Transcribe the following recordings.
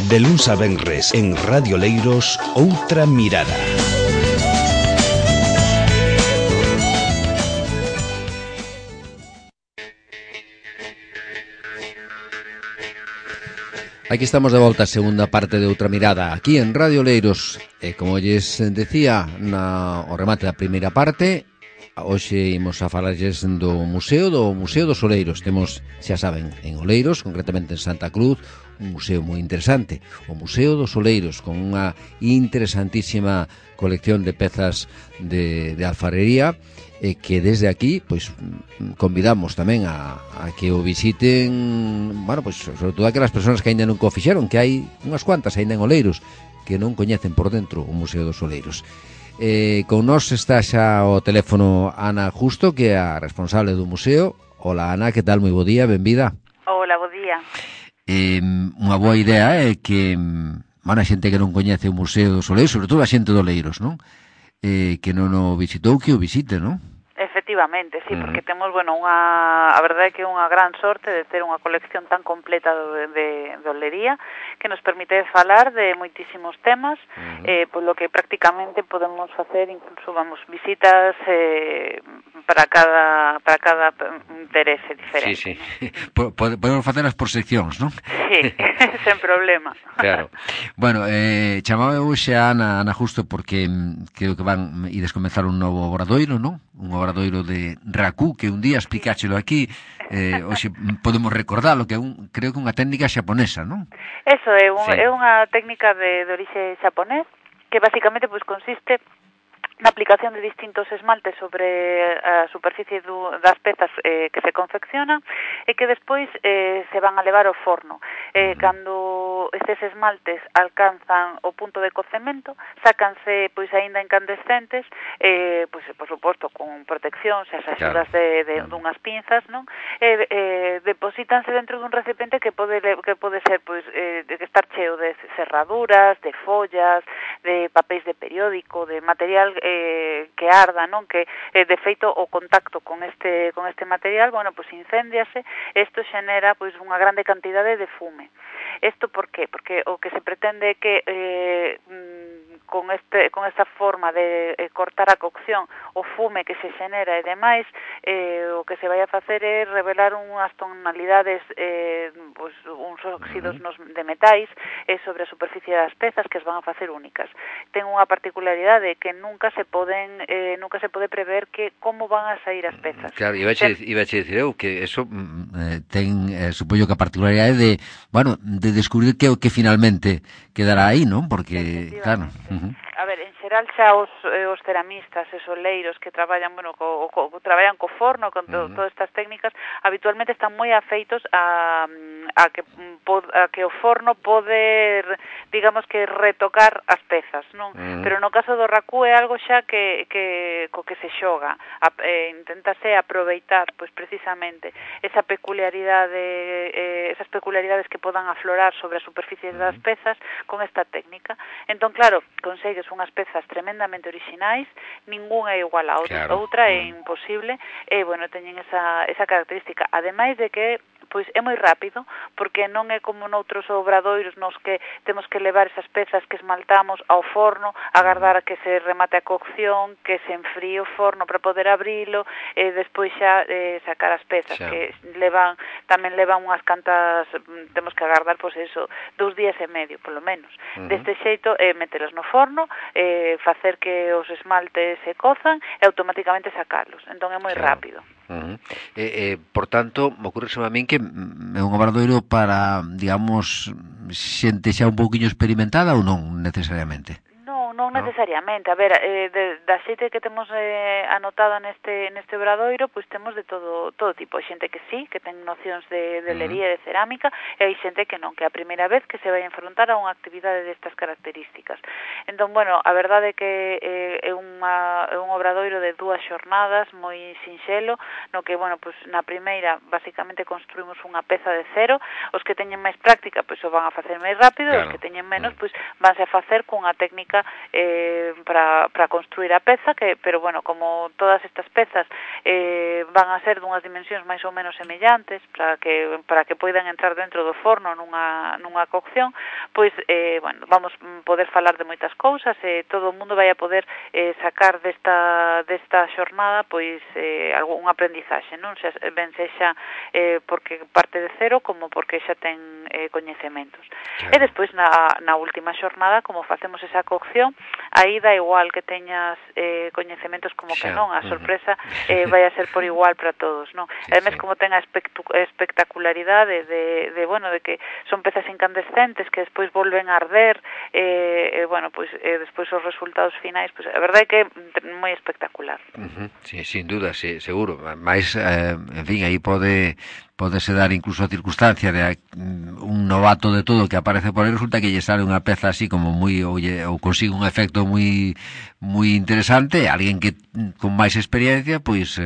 De luns a venres en Radio Leiros, Outra Mirada. Aquí estamos de volta a segunda parte de Outra Mirada aquí en Radio Leiros. E como lles decía o remate da primeira parte, hoxe imos a falarlles do Museo dos Oleiros. Temos, xa saben, en Oleiros, concretamente en Santa Cruz, un museo moi interesante, o Museo dos Oleiros, con unha interesantísima colección de pezas de alfarería, que desde aquí pois convidamos tamén a que o visiten, bueno, pois sobre todo aquelas persoas que aínda non o fixeron, que hai unhas cuantas aínda en Oleiros que non coñecen por dentro o Museo dos Oleiros. Con nós está xa o teléfono Ana Justo, que é a responsable do museo. Hola Ana, que tal? Moi bo día, benvida. Hola, bo día. Unha boa idea é que a xente que non coñece o Museo dos Oleiros, sobre todo a xente de Oleiros, non? Que non o visitou, que o visite, non? Efectivamente, sí, porque temos, a verdade é que é unha gran sorte de ter unha colección tan completa de olería que nos permite falar de moitísimos temas, polo que prácticamente podemos facer incluso, visitas para cada interese diferente. Sí. Podemos facelas por seccións, non? Sí, sen problema. Claro. Bueno, chamaba hoxe a Ana Justo porque creo que ides comenzar un novo obradoiro, non? Un obradoiro de raku, que un día explicáchelo aquí, hoxe podemos recordalo, que creo que unha técnica xaponesa, non? Eso é unha técnica de orixe xaponés, que basicamente consiste na aplicación de distintos esmaltes sobre a superficie das pezas que se confeccionan e que despois se van a levar ao forno. Cando estes esmaltes alcanzan o punto de cocemento, sácanse aínda incandescentes, por suposto con protección, as axudas dunhas pinzas, non? Deposítanse dentro dun recipiente que pode ser de estar cheo de cerraduras, de follas, de papéis de periódico, de material que arda, non? Que de feito o contacto con este material, incéndiase, isto xenera unha grande cantidade de fume. Isto por qué? Porque o que se pretende é que con esta forma de cortar a cocción, o fume que se xenera e demais, o que se vai a facer é revelar unhas tonalidades, uns óxidos de metais sobre a superficie das pezas que as van a facer únicas. Ten unha particularidade que nunca se pode prever como van a sair as pezas. Claro, iba a dicir eu que eso ten, supoño que a particularidade de descubrir que o que finalmente quedará aí, non? Porque, claro... A ver, en xeral xa os ceramistas e soleiros que traballan, traballan co forno, con todas estas técnicas, habitualmente están moi afeitos a que o forno pode, digamos que retocar as pezas, non? Pero no caso do raku é algo xa co que se xoga, inténtase aproveitar, precisamente, esas peculiaridades que podan aflorar sobre a superficie das pezas con esta técnica. Entón, claro, consegues unhas pezas tremendamente orixinais, ningunha é igual a outra, outra é imposible, e, teñen esa característica, ademais de que é moi rápido, porque non é como noutros obradoiros nos que temos que levar esas pezas que esmaltamos ao forno, agardar a que se remate a cocción, que se enfríe o forno para poder abrilo, e despois xa sacar as pezas, que tamén levan unhas cantas, temos que agardar, 2 días e medio, polo menos. Deste xeito, metelas no forno, facer que os esmaltes se cozan e automáticamente sacarlos. Entón é moi rápido. Por tanto, me ocurre a min que é un obradoiro para, digamos, xente xa un pouquiño experimentada ou non necesariamente? Non necesariamente. A ver, da xeite que temos anotada neste obradoiro, temos de todo tipo. Hai xente que sí, que ten nocións de olería e de cerámica, e hai xente que non, que é a primeira vez que se vai a enfrontar a unha actividade destas características. Entón, a verdade é que é un obradoiro de 2 xornadas moi sinxelo, no que, na primeira, basicamente, construímos unha peza de cero. Os que teñen máis práctica, o van a facer máis rápido, e os que teñen menos, vanse a facer cunha técnica para construir a peza, pero bueno, como todas estas pezas van a ser dunhas dimensións máis ou menos semellantes para que poidan entrar dentro do forno nunha cocción, pois bueno, vamos poder falar de moitas cousas e todo o mundo vai a poder sacar desta xornada pois algún aprendizaxe, non? Ben sexa porque parte de cero como porque xa ten coñecementos. Claro. E despois na última xornada, como facemos esa cocción, aí dá igual que teñas coñecementos como que non, a sorpresa vai a ser por igual para todos, non? Ademais, como ten a espectacularidade de que son pezas incandescentes que despois volven a arder, bueno, pois despois os resultados finais, pois a verdade é que é moi espectacular. Sí, sin duda, sí, seguro. Mais, en fin, aí podese dar incluso a circunstancia de un novato de todo que aparece por aí, resulta que lle sale unha peza así como moi ou consigue un efecto moi interesante, alguén que con máis experiencia pois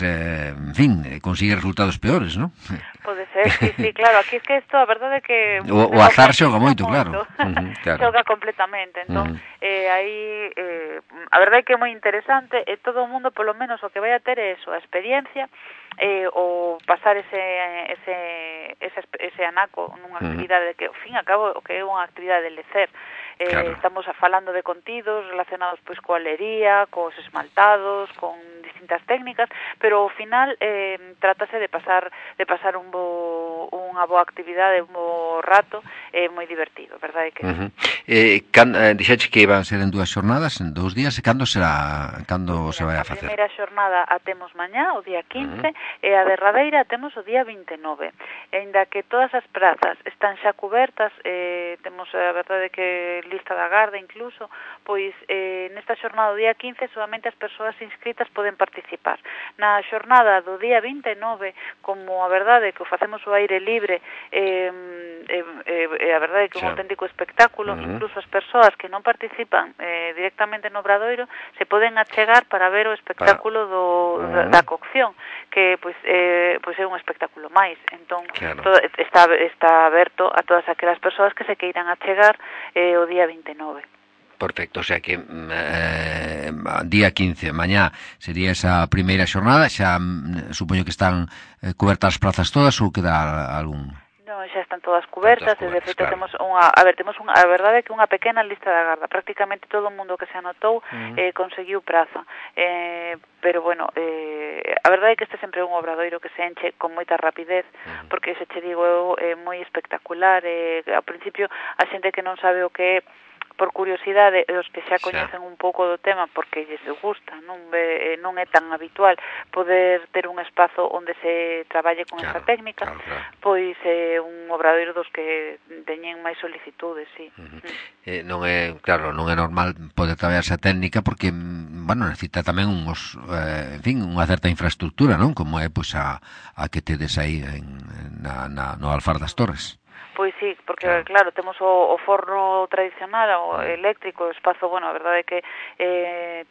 en fin, consigue resultados peores, non? Pode ser, sí, claro, aquí é que isto, a verdade é que o azar xoga moito, claro. Claro. Xoga completamente, entón, aí a verdade é que é moi interesante e todo o mundo, polo menos, o que vai a ter é eso, a experiencia o pasar ese anaco nunha actividade que, ao fin e ao cabo, o que é unha actividade de lecer. Claro. Estamos falando de contidos relacionados pois coa lería, cos esmaltados, con distintas técnicas, pero ao final trátase de pasar unha boa actividade, un bo rato, moi divertido, verdade que dixeche que iban a ser en 2 xornadas, en 2 días, e cando se vai a facer? A primeira xornada a temos mañá, o día 15, e a derradeira a temos o día 29. Ainda que todas as prazas están xa cubertas, temos a verdade que lista da garda incluso, pois nesta xornada do día 15 solamente as persoas inscritas poden participar. Na xornada do día 29, como a verdade que o facemos ao aire libre, a verdade que é un auténtico espectáculo, incluso as persoas que non participan directamente no obradoiro se poden achegar para ver o espectáculo da cocción, que pois é un espectáculo máis. Entón, está aberto a todas aquelas persoas que se queiran achegar o día 29. Perfecto, o sea que día 15, mañá sería esa primeira xornada, xa supoño que están cubertas as plazas todas ou queda algún? Non, xa están todas cubertas, e de feito temos a verdade é que unha pequena lista da garda, prácticamente todo o mundo que se anotou conseguiu praza, pero bueno, a verdade é que este sempre é un obradoiro que se enche con moita rapidez, porque se che digo eu, é moi espectacular, ao principio a xente que non sabe o que é, por curiosidade, os que xa coñecen un pouco do tema porque lles gusta, non é tan habitual poder ter un espazo onde se traballe con esta técnica, pois é un obradoiro dos que teñen máis solicitudes, sí. Non é normal poder traballar esa técnica porque, bueno, necesita tamén en fin, unha certa infraestructura, non? Como é pois a que tedes aí no Alfar das Torres. Pois sí, porque claro, temos o forno tradicional, o eléctrico, o espazo, bueno, a verdade é que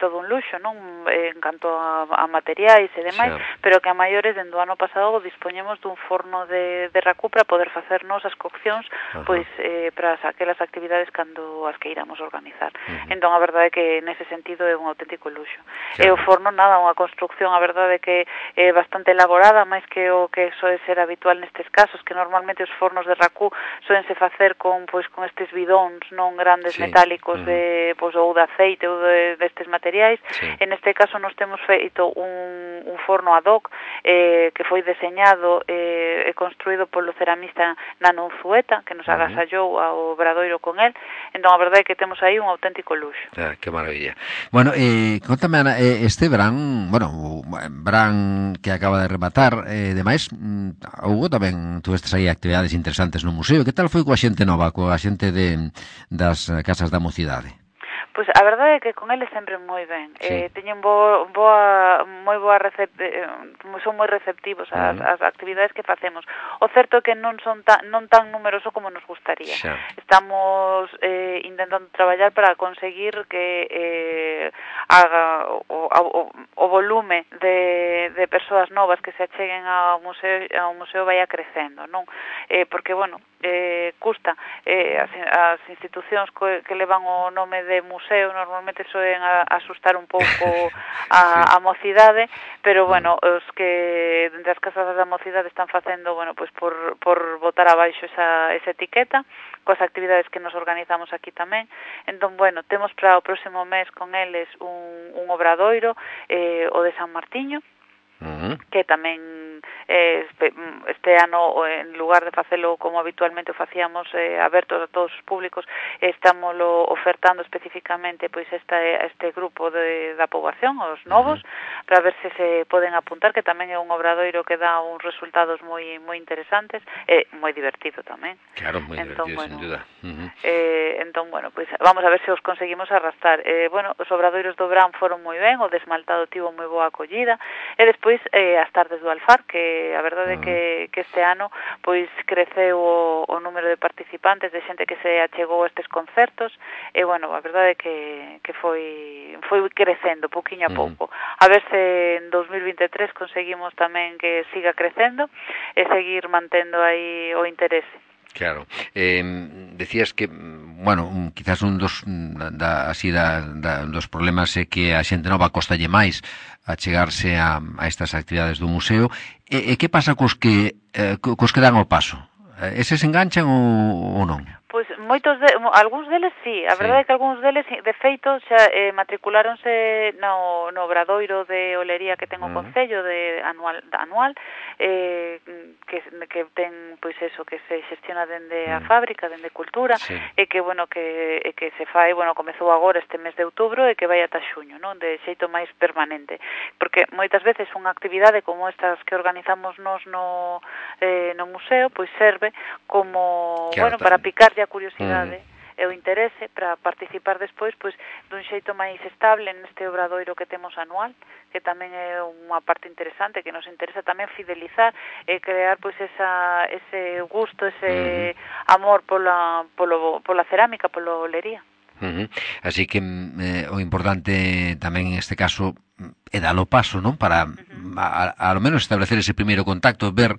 todo un luxo, non? En canto a materiais e demais, pero que a maiores, dende o ano pasado, dispoñemos dun forno de racú para poder facernos as coccións, pois, para aquelas actividades cando as queiramos organizar. Entón, a verdade é que, nese sentido, é un auténtico luxo. E o forno, nada, unha construcción, a verdade é que é bastante elaborada, máis que o que soe ser habitual nestes casos, que normalmente os fornos de racú soense facer con estes bidóns non grandes metálicos ou de aceite ou destes materiais. En este caso nos temos feito un forno ad hoc que foi deseñado e construído polo ceramista Nano Unzueta, que nos agasallou ao obradoiro con el. Entón a verdade é que temos aí un auténtico luxo. Que maravilla. Bueno, contame, Ana, este verán, que acaba de rematar, demais, houve tamén, tuvestes aí actividades interesantes no museo. Que tal foi coa xente nova, coa xente das casas da mocidade? Pois a verdade é que con eles sempre moi ben. Teñen moi boa son moi receptivos ás actividades que facemos. O certo é que non tan numeroso como nos gustaría. Estamos intentando traballar para conseguir que o volume de persoas novas que se acheguen ao museo vaya crecendo, non? porque, bueno, custa as institucións que levan o nome de museo normalmente soen a asustar un pouco a mocidade, pero, bueno, os que dentro das casas da mocidade están facendo, bueno, pois por botar abaixo esa etiqueta, coas actividades que nos organizamos aquí tamén. Entón, bueno, temos para o próximo mes con eles un obradoiro, o de San Martiño, que tamén este ano, en lugar de facelo como habitualmente o facíamos aberto a todos os públicos, estámoslo ofertando especificamente pois este grupo da poboación, os novos, para ver se poden apuntar, que tamén é un obradoiro que dá uns resultados moi interesantes, moi divertido tamén. Claro, moi divertido, sin duda. Entón, bueno, pois vamos a ver se os conseguimos arrastrar. Bueno, os obradoiros do Bran foron moi ben, o desmaltado tivo moi boa acollida, e despois as tardes do Alfar, que a verdade é que este ano pois creceu o número de participantes, de xente que se achegou a estes concertos, e, bueno, a verdade é que foi crecendo pouquiño a pouco. A ver se en 2023 conseguimos tamén que siga crecendo e seguir mantendo aí o interese. Claro. Decías que, bueno, quizás un dos dos problemas é que a xente nova costalle máis a chegarse a estas actividades do museo. E que pasa cos que dan o paso? Eses enganchan ou non? Pois algúns deles sí, a verdade é que algúns deles de feito xa matriculáronse no obradoiro de olería que ten o Concello de anual, que ten pois eso, que se xestiona dende a fábrica, dende cultura, e que, bueno, que se fai, bueno, comezou agora este mes de outubro e que vai ata xuño, non, de xeito máis permanente, porque moitas veces unha actividade como estas que organizamos nos no museo, pois serve como, claro, bueno, para picar a curiosidade e o interese para participar despois pois dun xeito máis estable neste obradoiro que temos anual, que tamén é unha parte interesante, que nos interesa tamén fidelizar e crear pois ese gusto, ese amor pola cerámica, pola olería. Así que o importante tamén en este caso é dar o paso, non? Para a lo menos establecer ese primeiro contacto, ver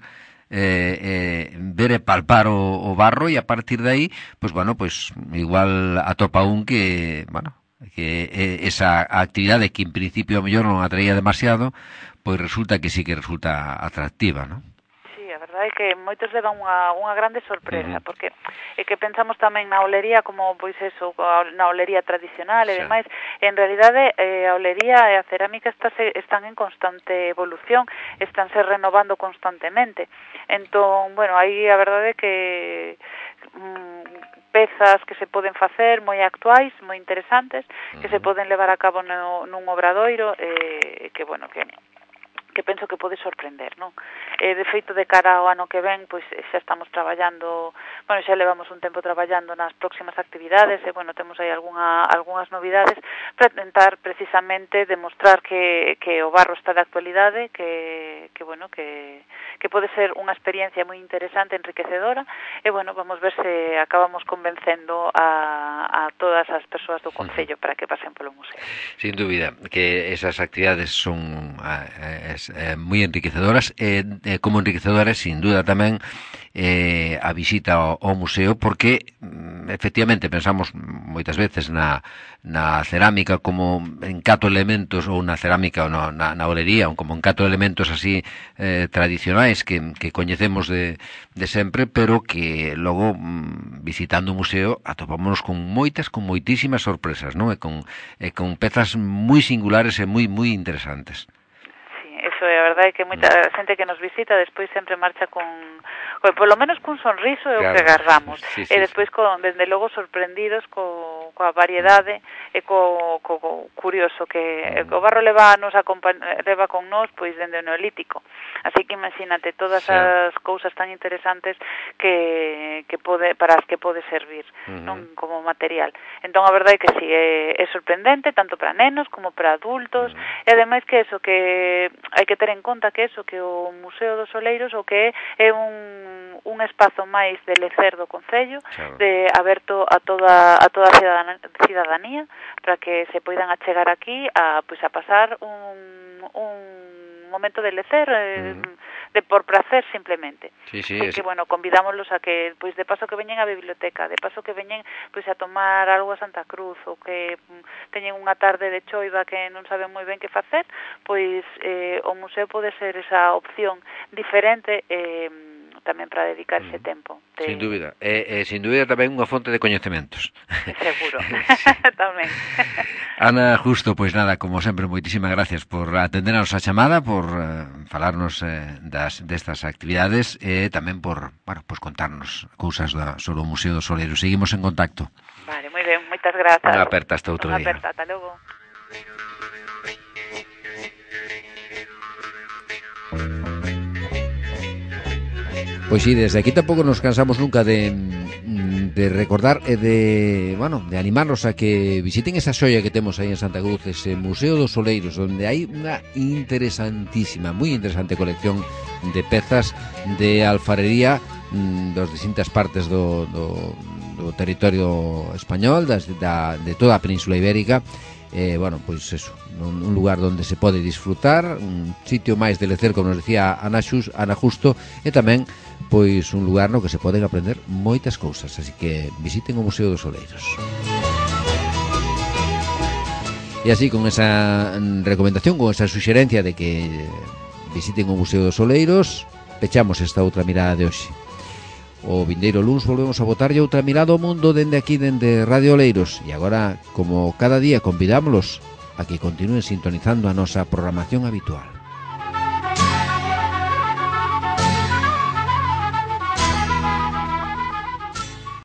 e palpar o barro, e a partir de aí, pues bueno, pues igual atopa un que, bueno, que esa actividade que en principio a mellor non atraía demasiado, pois resulta que sí que resulta atractiva, non? A verdade é que moitos levan unha grande sorpresa, porque é que pensamos tamén na olería como, pois eso, na olería tradicional e demais, en realidade a olería e a cerámica están en constante evolución, estánse renovando constantemente. Entón, bueno, aí a verdade é que pezas que se poden facer moi actuais, moi interesantes, que se poden levar a cabo nun obradoiro, que, bueno, que penso que pode sorprender, non? De feito, de cara ao ano que ven, pois xa estamos traballando, bueno, xa levamos un tempo traballando nas próximas actividades, e, bueno, temos aí algunhas novidades para tentar precisamente demostrar que o barro está de actualidade, que bueno, que pode ser unha experiencia moi interesante, enriquecedora, e, bueno, vamos ver se acabamos convencendo a todas as persoas do Concello para que pasen polo museo. Sin dúbida, que esas actividades son moi enriquecedoras, como enriquecedoras, sin duda tamén a visita ao museo, porque efectivamente pensamos moitas veces na cerámica como en 4 elementos, ou na cerámica ou na olería, como en 4 elementos así tradicionais que coñecemos de sempre, pero que logo visitando o museo atopámonos con moitísimas sorpresas, non? E con pezas moi singulares e moi interesantes. Eso é, a verdade é que moita xente que nos visita despois sempre marcha con polo menos cun sonriso é o que agarramos, e despois desde logo sorprendidos coa variedade e co curioso que o barro leva con nós pois dende o neolítico, así que imagínate todas as cousas tan interesantes que para as que pode servir, non, como material. Entón a verdade é que si é sorprendente tanto para nenos como para adultos, e ademais que eso, que hai que ter en conta que o Museo dos Oleiros o que é un espazo máis de lecer do Concello, de aberto a toda a cidadanía, para que se poidan achegar aquí a pasar un momento de lecer, de por placer simplemente. Sí, Que, bueno, convidámoslos a que, pois, de paso que veñen á biblioteca, de paso que veñen, pois, a tomar algo a Santa Cruz, ou que teñen unha tarde de choiva que non saben moi ben que facer, pois o museo pode ser esa opción diferente tamén para dedicar ese tempo. Sin dúbida. Sin dúbida tamén unha fonte de coñecementos. Seguro. Tamén. Ana Justo, pois nada, como sempre, moitísimas gracias por atendernos a chamada, por falarnos destas actividades e tamén por, bueno, pues contarnos cousas sobre o Museo do Soleiro. Seguimos en contacto. Vale, moi ben, moitas grazas. Unha aperta hasta outro día. Unha aperta, ata logo. Pois sí, desde aquí tampouco nos cansamos nunca de recordar e de animarnos a que visiten esa xoia que temos aí en Santa Cruz, ese Museo dos Soleiros, onde hai unha moi interesante colección de pezas de alfarería das distintas partes do territorio español, de toda a Península Ibérica. Pois eso, un lugar onde se pode disfrutar, un sitio máis de lecer, como nos decía Ana Justo, e tamén pois un lugar no que se poden aprender moitas cousas, así que visiten o Museo dos Soleiros. E así, con esa recomendación, con esa suxerencia de que visiten o Museo dos Soleiros, pechamos esta outra mirada de hoxe. O vindeiro luns volvemos a botarlle outra mirada ao mundo dende aquí, dende Radio Oleiros. E agora, como cada día, convidámoslos a que continúen sintonizando a nosa programación habitual.